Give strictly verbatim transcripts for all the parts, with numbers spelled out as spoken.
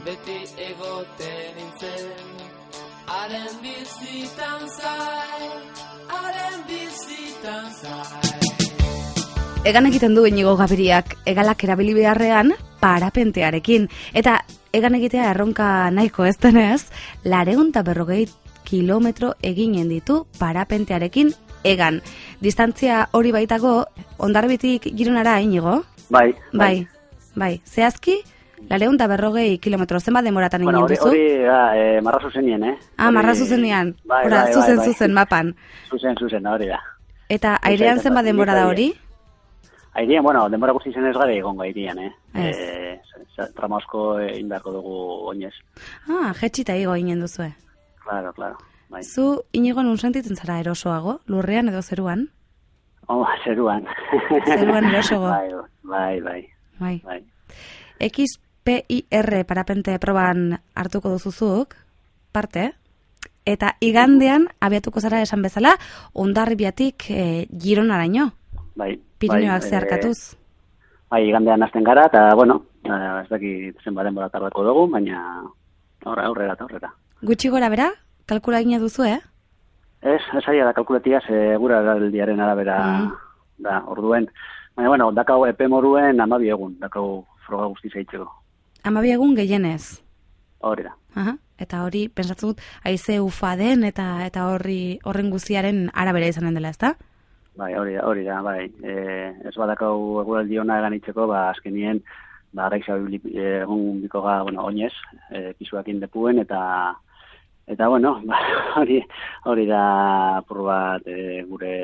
beti egoten nintzen. Haren bizitan zai, haren bizitan zai. Egan egiten du Inigo Gabiriak egalak erabili beharrean parapentearekin. Eta egan egitea erronka nahiko ez denez, laurehun eta berrogei kilometro eginen ditu parapentearekin egan. Distantzia hori baitago, Hondarribitik Gironara, Inigo? Bai, bai. Bai, bai. Zehazki, laurehun eta berrogei kilometro, zenbat demoratan egin bueno, duzu? Hori, e, marra zuzenien, eh? Ah, marra zuzenien. Bai, Hora, bai, zuzen, bai, bai. zuzen, mapan. Zuzen, zuzen, hori da. Eta airean zenbat denbora da hori? Airean, bueno, denbora guzti zen ez gara egongo airean, eh? Ez. E, trama asko egin beharko dugu oinez. Ah, jetxita igo ginen duzue. Claro, claro. Bai. Zu, Inigo, nun sentitzen zara erosoago? Lurrean edo zeruan? Oh, zeruan. Zeruan erosoago. Bai, bai, bai. Bai. bai. X P I R parapente proban hartuko duzuzuk, parte, eta igandean abiatuko zara esan bezala, Hondarribiatik e, Gironaraino. Bai. Pirinioak bai, zeharkatuz. E, bai, igandean hasten gara, eta, bueno, ez dakit zenbat denbora tardako dugu, baina aurrera, aurrera, eta aurrera. Gutxi gora bera, kalkula egina duzu, eh? Ez, ez ari da kalkulatia, segura aldiaren arabera mm. da, orduen. Baina, bueno, dakau epe moruen amabi egun, dakau froga guzti zaitzeko. Amabi egun gehienez. Hori da. Aha. Eta hori, pensatzen dut, haize ufa den eta eta horri horren guztiaren arabera izanen dela, ezta? Bai, hori da, hori da, bai. E, ez badakau eguraldi ona eganitzeko, ba, azkenien, ba, araixa egun bikoga, bueno, oinez, e, pisuak indepuen, eta, eta, bueno, ba, hori, hori da, apur bat, e, gure,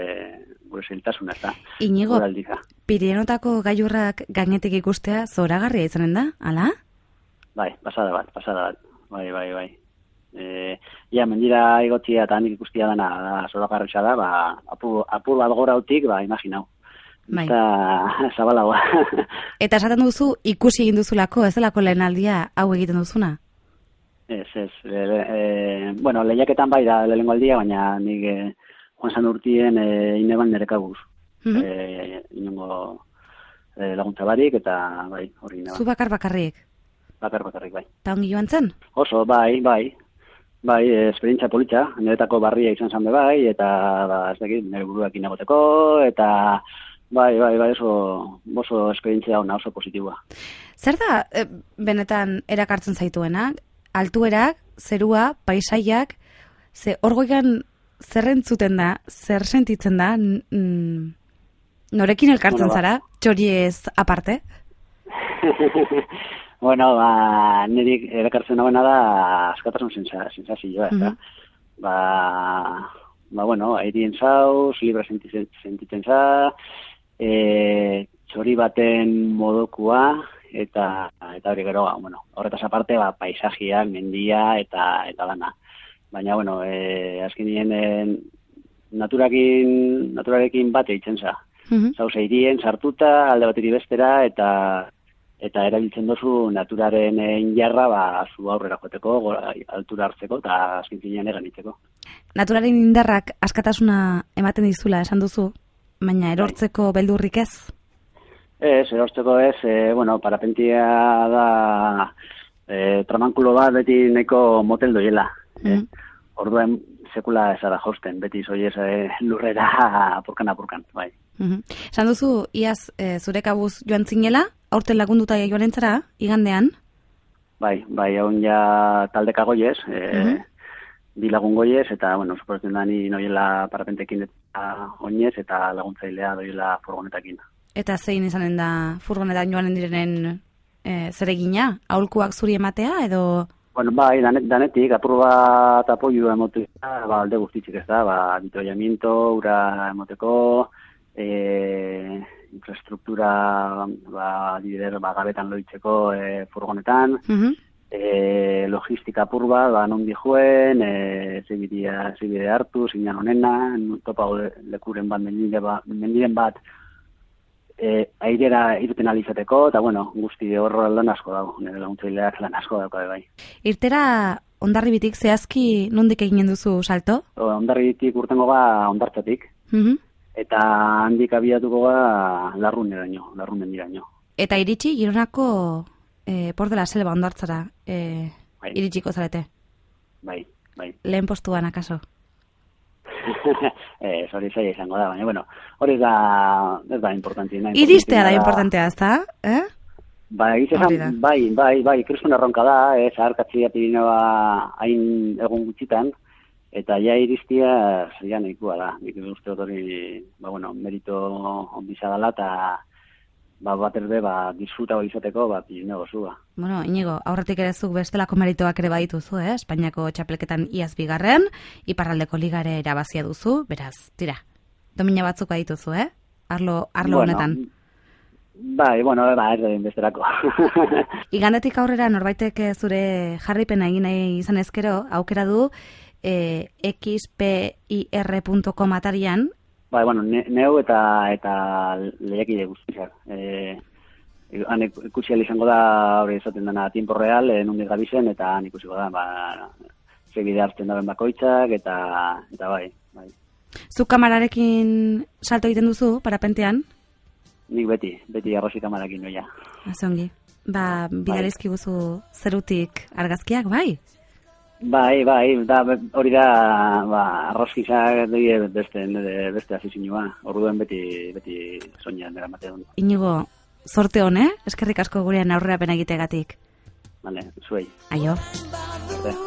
gure zailtasuna, ez da. Inigo, Pirinotako gailurrak gainetik ikustea zoragarria izanen da, ala? Bai, pasada bat, pasada bat, bai, bai, bai. E, ja, mendira igotzia eta handik ikustia dana, da, zoragarria da, ba, apur, apur bat gorautik, ba, imaginau. Bai. Eta zabalagoa. Eta esaten duzu ikusi egin duzulako, ez delako lehen aldia hau egiten duzuna? Ez, ez. E, e, bueno, lehiaketan bai da lehenengo aldia, baina nik e, joan zan urtien e, ineban nerekabuz. Mm -hmm. e, inongo e, laguntza barik, eta bai, hori ineban. Zu bakar bakarrik? Bakar bakarrik, bai. Ta ongi joan zen? Oso, bai, bai. Bai, esperientzia politxa, niretako barria izan zan be bai, eta ba, ez dakit, nire buruak inagoteko, eta bai, bai, bai, oso, oso esperientzia ona, oso positiboa. Zer da, e, benetan erakartzen zaituena? Altuerak, zerua, paisaiak, ze orgoikan zer entzuten da, zer sentitzen da, mm, norekin elkartzen bueno, ba. zara, txoriez aparte? Bueno, ba, nirik erakartzen hauena da askatasun sensazioa, ez da? Mm-hmm. Ba, ba, bueno, airien zauz, libre sentitzen, sentitzen za, e, txori baten modokua, eta eta hori gero, bueno, horretaz aparte, ba, paisajiak, mendia, eta eta lana. Baina, bueno, e, azkenien e, naturakin, naturarekin bate eitzen za. Mm-hmm. Zauz, airien sartuta, alde bateri bestera, eta eta erabiltzen dozu naturaren injarra, ba, zu aurrera joateko, gora, altura hartzeko, eta azken finean eganitzeko. Naturaren indarrak askatasuna ematen dizula, esan duzu, baina erortzeko beldurrik ez? Ez, erortzeko ez, e, bueno, parapentia da e, tramankulo bat beti nahiko motel doiela. Mm-hmm. E, orduen sekula ezara josten, beti zoiez e, lurrera apurkan-apurkan, bai. Mm-hmm. Esan duzu, iaz e, zure kabuz joan zinela, aurten lagunduta joan entzara, igandean? Bai, bai, hau ja taldeka goiez, e, mm-hmm. bi lagun goiez, eta, bueno, suporatzen da ni noiela parapentekin eta oinez, eta laguntzailea doiela furgonetakin. Eta zein izanen da furgonetan joanen direnen e, zeregina? Aholkuak zuri ematea, edo...? Bueno, bai, danet, danetik, apur bat apoio emoteko, ba, alde guztitzik ez da, ba, ditollamiento, ura emoteko, e, infrastruktura, ba, dider, ba, gabetan loitzeko e, furgonetan, mm-hmm. e, logistika apur bat, ba, non dijuen, e, zibidea, zibide hartu, zinan honena, topa lekuren bat, mendiren bat, mendiren bat, E, airera irten alizateko, eta bueno, guzti horro lan asko dago, nire laguntzaileak lan asko dago bai. Irtera Hondarribitik zehazki nondik eginen duzu salto? Hondarribitik urtengo ba Hondartzatik, mm-hmm. eta handik abiatuko ba Larruneraino, Larrunen diraino. Eta iritsi Gironako e, Por de la Selva ondartzara e, bai. iritsiko zarete. Bai, bai. Lehen postuan, akaso? Ez, hori zaila izango da, baina, bueno, hori da, ez da importantina. Iristea da importantea, ez da? Eh? Ba, egizan, bai, bai, bai, kristun erronka da, ez, aharkatzea Pirinioa hain egun gutxitan, eta ja iristia zaila nahikoa da. Nik uste dut hori, ba, bueno, merito onbiza dela, eta ba, bat erbe, ba, disfruta hori izateko, ba, Pirineo gozua. Bueno, Inigo, aurretik ere zuk bestelako meritoak ere badituzu, eh? Espainiako txapelketan iaz bigarren, iparraldeko ligare erabazia duzu, beraz, tira, domina batzuk badituzu, eh? Arlo, arlo bueno, honetan. Bai, bueno, ba, ez da besterako. Igandetik aurrera norbaitek zure jarripena egin nahi izan ezkero, aukera du eh, x p i r punto com atarian. Bai, bueno, ne, neu eta eta lehiakide guztiak. Eh, han ikusi izango da hori esaten dena tiempo real, eh, nundik gabizen, eta han ikusiko da, ba, ze bide hartzen daben bakoitzak, eta eta bai, bai. Zuk kamararekin salto egiten duzu, parapentean? Nik beti, beti arrozi kamarakin noia. Azongi. Ba, bidalizki guzu zerutik argazkiak, bai? Bai, bai, da, hori da, ba, arrozkizak beste, beste afizinua. Orduen beti, beti soinean dira mate dut. Inigo, sorte hon, eh? Eskerrik asko gurean aurrerapen egitegatik. Vale, zuei. Aio. Arte.